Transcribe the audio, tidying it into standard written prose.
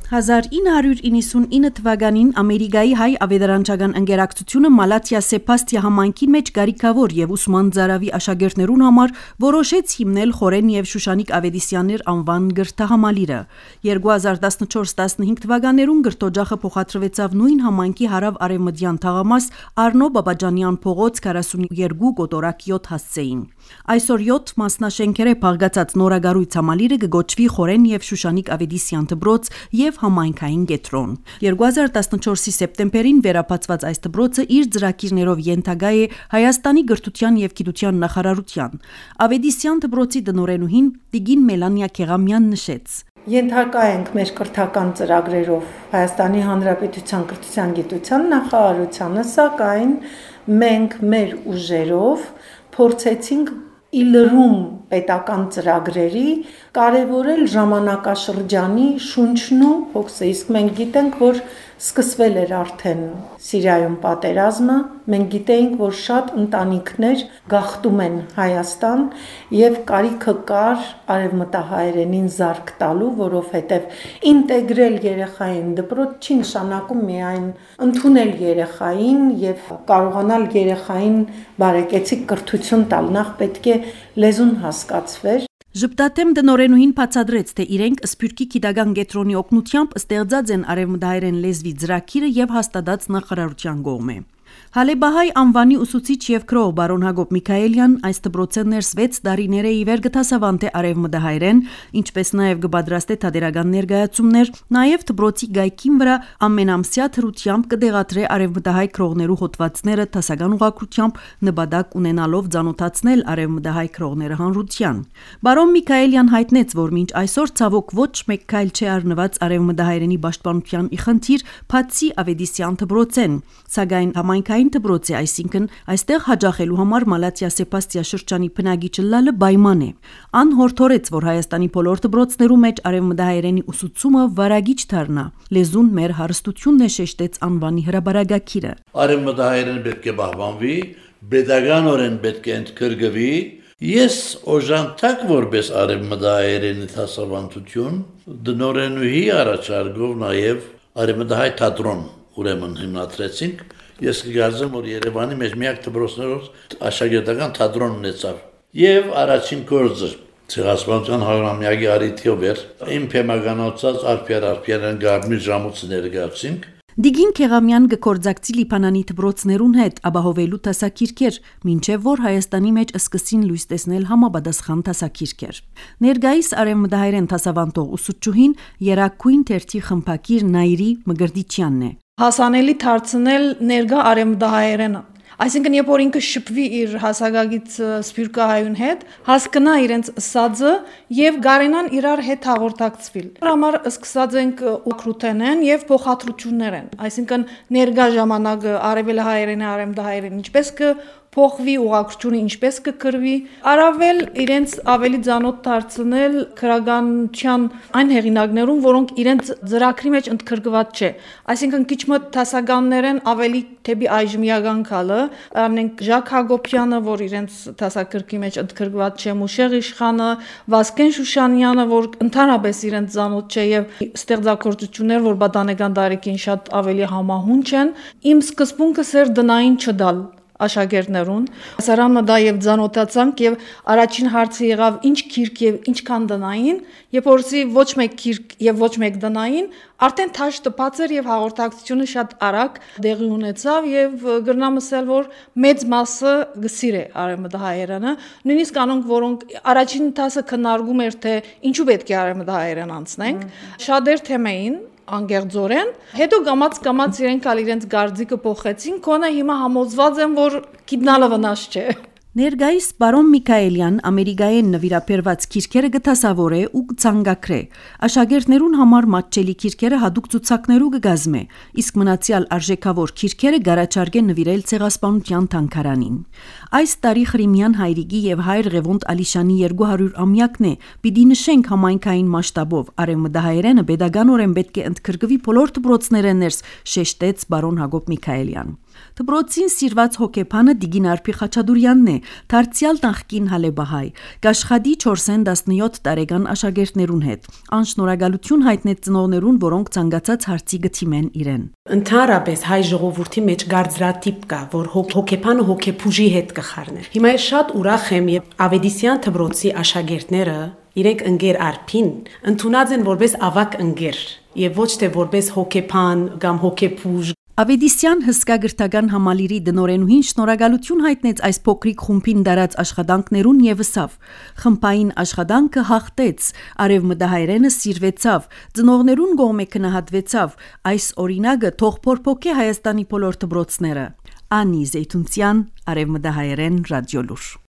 1999 թվականին Ամերիկայի հայ ավետարանչական ընկերակցությունը Մալաթիա Սեբաստիա համայնքի մեջ կարիքավոր եւ ուսման ծարավի աշակերտներուն համար որոշեց հիմնել Խորեն եւ Շուշանիկ Ավետիսյաններ անվան գրթահամալիրը։ 2014-15 թվականներուն գրթօջախը փոխադրվեցավ նույն համայնքի հարավ-արևմտյան թաղամաս Արնո Բաբաջանյան փողոց 42 կոտորակ 7 հասցեին։ Այսօր 7 մասնաշենքերը փաղկացած նորագարույց համալիրը կգոչվի Խորեն եւ Շուշանիկ Ավետիսյան դպրոց եւ համայնքային կենտրոն։ 2014-ի սեպտեմբերին վերապացված այս դպրոցը իր ծրագիրներով ենթակա է Հայաստանի գրթության եւ գիտության նախարարության։ Ավետիսյան դպրոցի տնօրենուհին Տիգին Մելանիա Քեղամյան նշեց. Ենթակա ենք մեր կրթական ծրագրերով Հայաստանի Հանրապետության կրթության գիտության նախարարությանը, սակայն մենք մեր ուժերով փորձեցինք իլրում պետական ծրագրերի կարևորել ժամանակաշրջանի շունչն ու հոգսը, իսկ մենք գիտենք, որ սկսվել էր արդեն Սիրիայում պատերազմը, մենք գիտեինք, որ շատ ընտանիքներ գաղթում են Հայաստան եւ կարիքը կար արևմտահայերենին զարկ տալու, որովհետեւ ինտեգրել երեխային դպրոց չի նշանակում միայն ընդունել երեխային եւ կարողանալ երեխային բարեկեցիկ կրթություն տալ, նախ պետք է լեզուն հասկացվեր։ Ժպտատեմ տնօրենուհին բացատրեց, թե իրենք Սփյուռքի գիտական կենտրոնի օգնությամբ ստեղծած են արևմտահայերեն լեզվի ծրագիրը եւ հաստատած նախարարության կողմէ։ Հալեբահայ անվանի ուսուցիչ եւ քրող բարոն Հակոբ Միքայելյան այս դպրոցը ներս 6 տարիներ է իվեր գտասավանտե արևմտահայերեն, ինչպես նաեւ կպատրաստե թատերական ներկայացումներ, նաեւ դպրոցի գայքին վրա ամենամսյա թրությամբ կդեղադրե արևմտահայ քրողներու հոդվածները տասական ուղղակությամբ նպատակ ունենալով ցանոթացնել արևմտահայ քրողները հանրության։ Բարոն Միքայելյան հայտնեց, որ մինչ այսօր ցավոք ոչ մեկ քայլ չի առնված արևմտահայերենի պաշտպանության իխնդիր, բացի Ավետիսյան դպրոցեն, սակայն համայնքային դպրոցի, այսինքն այստեղ հաջախելու համար Մալաթիա Սեբաստիա շրջանի բնակիչը լալը պայման է։ Ան հորդորեց, որ Հայաստանի բոլոր դպրոցներու մեջ արևմտահայերենի ուսուցումը վարագիչ դառնա։ Լեզուն մեր հարստությունն է, շեշտեց անվանի հրաբարագակիրը։ Արևմտահայերենը պետք է պահպանվի, պետականորեն պետք է ընդգրկվի։ Ես օժանդակ որպես արևմտահայերենի դասավանդություն դնորենուհի առաջարկով նաև արևմտահայ թատրոն ուրեմն հիմնադրեցինք։ Ես կգարձեմ, որ Երևանի մեջ միակ դպրոցներով աշակերտական թատրոն ունեցավ։ Եվ առաջին գործը ցեղասպանության 100-ամյակի առիթով էր իմ փեմականացած Արփիան Գարմիր ժամուց ներկայացինք։ Դիգին Քեղամյան կկործակցի Լիբանանի դպրոցներուն հետ ապահովելու տասակիրքեր, մինչև որ Հայաստանի մեջ սկսին լույս տեսնել համապատասխան տասակիրքեր։ Ներկայիս արևմտահայերեն դասավանդող ուսուցչուհին Երակույն թերթի խմբակիր Նայիրի Մգրդիչյանն է։ Հասանելի դարձնել ներկա արևմտահայերենը։ Այսինքն, երբ որ ինքը շփվի իր հասակագից սփյուռքահայուն հետ, հասկանա իրենց սածը եւ գարենան իրար հետ հաղորդակցվել։ Դրա համար սկսած ենք օկրուտենեն եւ փոխադրություններ են։ Այսինքն, ներկա ժամանակը արևելահայերենը, արևմտահայերենը ինչպես փոխվի ուղղակցությունը, ինչպես կկրվի, առավել իրենց ավելի ծանոթ դարձնել քրագանության այն հեղինակներուն, որոնք իրենց ծրագրի մեջ ընդգրկված չէ։ Այսինքն քիչ մոտ դասականներեն ավելի թեպի այժմիական քալը, անենք Ժակ Հակոբյանը, որ իրենց դասագրքի մեջ ընդգրկված չէ, Մուշեղ Իշխանը, Վասկեն Շուշանյանը, որ ընդհանրապես իրենց ծանոթ չէ եւ ստեղծագործություններ, որ պատանեկան տարիքին շատ ավելի համահունչ են, իմ սկզբունքը սեր դնային չդալ աշակերտներուն, ասարամը դա եւ ծանոթացանք եւ առաջին հարցը եղավ ինչ քիրք եւ ինչքան դնային, երբ որսի ոչ մեկ քիրք եւ ոչ մեկ դնային, արդեն թաշ տպած էր եւ հաղորդակցությունը շատ արագ դեղի ունեցավ եւ գրնամսել, որ մեծ մասը գսիր է արևմտահայերենը, նույնիսկ անոնք, որոնք առաջին տասը քննարկում էր, թե ինչու պետք է արևմտահայերեն անցնենք, շատեր թեմային անգերձորեն, հետո գամած իրենք ալ իրենց գարձիկը փոխեցին, կոնը հիմա համոզված եմ, որ գիտնալը վնաս չէ։ Ներկայիս բարոն Միքայելյան Ամերիկայեն նվիրապերված քիրքերը գտասավորե ու ցանկակրե։ Աշակերտներուն համար մատչելի քիրքերը հadoop ցուցակներու կգազմե, իսկ մնացյալ արժեքավոր քիրքերը գարաչարգե նվիրել ցեղասպանության թանգարանին։ Այս տարի Խրիմյան հայրիկի եւ հայր Ղևոնդ Ալիշանի 200-ամյակն է, պիտի նշենք համայնքային մասշտաբով արևմտահայերենը pedagoganորեն պետք է ընդգրկվի բոլոր դպրոցները ներս, շեշտեց բարոն Հակոբ Միքայելյան։ Դպրոցին սիրված հոկեբանը Դիգին Արփի Խաչատուրյանն է, դարձյալ նախկին հալեբահայ, կաշխատի 4-17 տարեկան աշակերտներուն հետ։ Անշնորհակալություն հայտնեց ծնողներուն, որոնք ցանկացած հարցի գտիմեն իրեն։ Ընդհանրապես հայ ժողովրդի մեջ գարձրատիպ կա, որ հոկեբանը հոկեփուժի հետ կխառներ։ Հիմա ես շատ ուրախ եմ, եւ Ավետիսյան դպրոցի աշակերտները իրենք ընկեր Արփին ընդունած են որպես ավակ ընկեր եւ ոչ թե որպես հոկեբան կամ հոկեփուժ։ Ավետիսյան հսկա գրթական համալիրի դնորենուհին շնորհակալություն հայտնեց այս փոքրիկ խումբին դարած աշխատանքներուն եւ ըսավ. խմբային աշխատանքը հաղթեց, արևմտահայերենը սիրվեցավ, ծնողներուն կողմէ քնահատվեցավ, այս օրինակը թող փորփոքե Հայաստանի բոլոր դպրոցները։ Անի Զեյթունցյան, Արևմտահայերեն ռադիոլուր։